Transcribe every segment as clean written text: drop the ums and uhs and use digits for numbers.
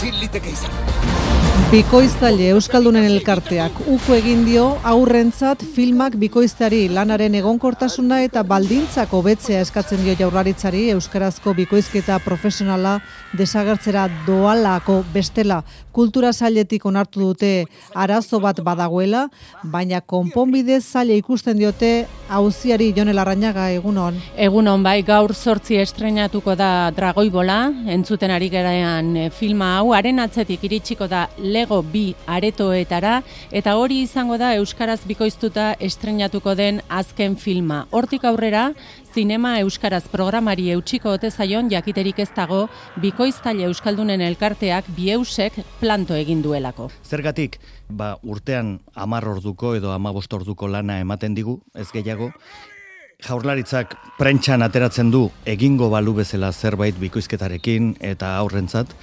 ezin liteke izan. Bikoiztaile Euskaldunen elkarteak uko egin dio aurrentzat filmak bikoizteari lanaren egonkortasuna eta baldintzak hobetzea eskatzen dio Jaurlaritzari euskarazko bikoizketa profesionala desagertzera doalako bestela kultura sailetik onartu dute arazo bat badagoela, baina konponbide zaila ikusten diote auziari. Jon Larrañaga, egunon. Egunon, bai, gaur 8 estreinatuko da Dragoibola, entzuten ari gerean filma hau, haren atzetik iritsiko da Lego 2 aretoetara, eta hori izango da euskaraz bikoiztuta estreinatuko den azken filma. Hortik aurrera, Zinema Euskaraz programari eutxiko ote zaion jakiterik ez dago bikoiztaile Euskaldunen elkarteak Bieusek planto egin duelako. Zergatik, urtean 10 orduko edo 15 orduko lana ematen digu, ez gehiago, Jaurlaritzak prentsan ateratzen du egingo balu bezala zerbait bikoizketarekin eta aurrentzat,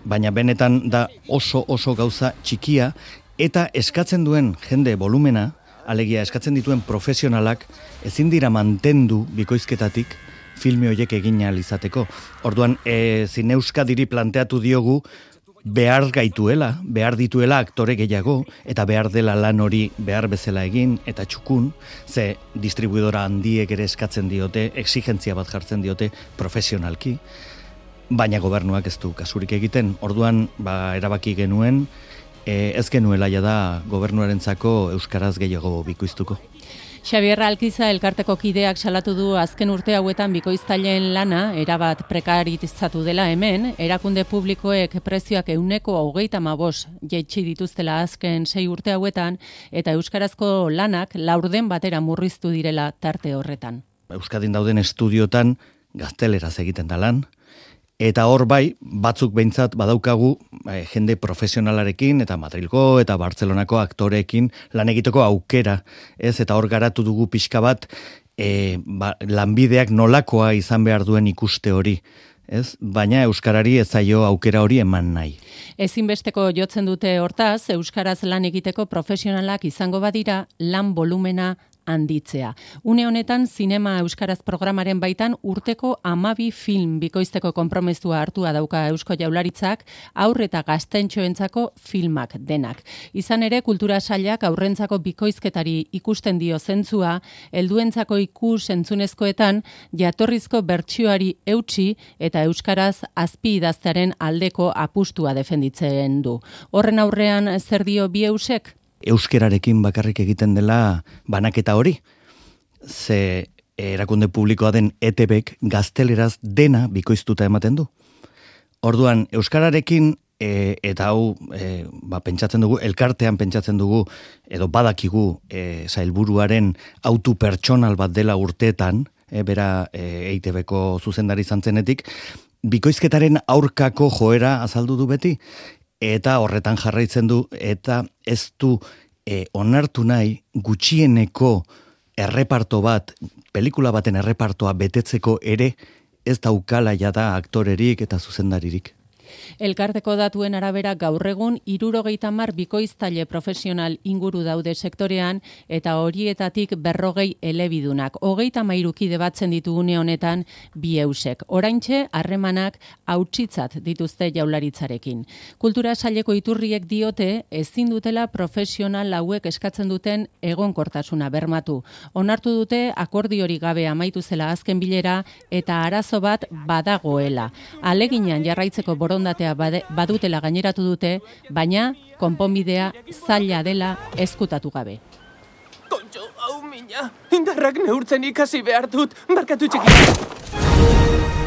baina benetan da oso gauza txikia eta eskatzen duen jende volumena, alegia eskatzen dituen profesionalak ezin dira mantendu bikoizketatik filme horiek egin ahal izateko. Orduan, Zine Euskadiri planteatu diogu behar dituela aktore gehiago, eta behar dela lan hori behar bezala egin, eta txukun, ze distribuidora handiek ere eskatzen diote, exigentzia bat jartzen diote profesionalki, baina gobernuak ez du kasurik egiten. Orduan, erabaki genuen, ez genuela da gobernuarentzako euskaraz gehiago bikoiztuko. Xabier Alkiza elkarteko kideak salatu du azken urte hauetan bikoiztaileen lana erabat prekarizatu dela hemen, erakunde publikoek prezioak 135% jaitsi dituztela azken 6 urte hauetan, eta euskarazko lanak laurden batera murriztu direla tarte horretan. Euskadin dauden estudiotan gazteleraz egiten da lan, eta hor bai, batzuk behintzat badaukagu jende profesionalarekin eta Madrilgo eta Bartzelonako aktoreekin lan egiteko aukera, ez? Eta hor garatu dugu pixka bat lanbideak nolakoa izan behar duen ikuste hori, ez? Baina euskarari ez zaio aukera hori eman nahi. Ezinbesteko jotzen dute hortaz, euskaraz lan egiteko profesionalak izango badira lan volumena handitzea. Une honetan, Zinema Euskaraz programaren baitan urteko 12 film bikoizteko konpromesua hartua dauka Eusko Jaurlaritzak, haur eta gaztentxoentzako filmak denak. Izan ere, kultura sailak aurrentzako bikoizketari ikusten dio zentzua, helduentzako ikus entzunezkoetan jatorrizko bertsioari eutsi eta euskaraz azpi idaztearen aldeko apustua defenditzen du. Horren aurrean zer dio Bieusek? Euskerarekin bakarrik egiten dela banaketa hori. Ze erakunde publikoa den ETBek gazteleraz dena bikoiztuta ematen du. Orduan, euskararekin eta hau pentsatzen dugu, elkartean pentsatzen dugu, edo badakigu sailburuaren autu pertsonal bat dela urteetan, bera EITBko zuzendari zantzenetik, bikoizketaren aurkako joera azaldu du beti, eta horretan jarraitzen du, eta ez du onartu nahi gutxieneko erreparto bat, pelikula baten errepartoa betetzeko ere ez daukala jada aktorerik eta zuzendaririk. Elkarteko datuen arabera gaur egun 70 bikoiztaile profesional inguru daude sektorean eta horietatik 40 elebidunak. 33 kide batzen ditugune honetan Bieusek. Oraintxe harremanak hautsitzat dituzte Jaurlaritzarekin. Kultura saileko iturriek diote ezin dutela profesional hauek eskatzen duten egonkortasuna bermatu. Onartu dute akordiorik gabe amaitu zela azken bilera eta arazo bat badagoela. Aleginan jarraitzeko borondatea badutela gaineratu dute, baina konponbidea zaila dela ezkutatu gabe. Kontxo, hau mina, indarrak neurtzen ikasi behar dut, barkatu txiki.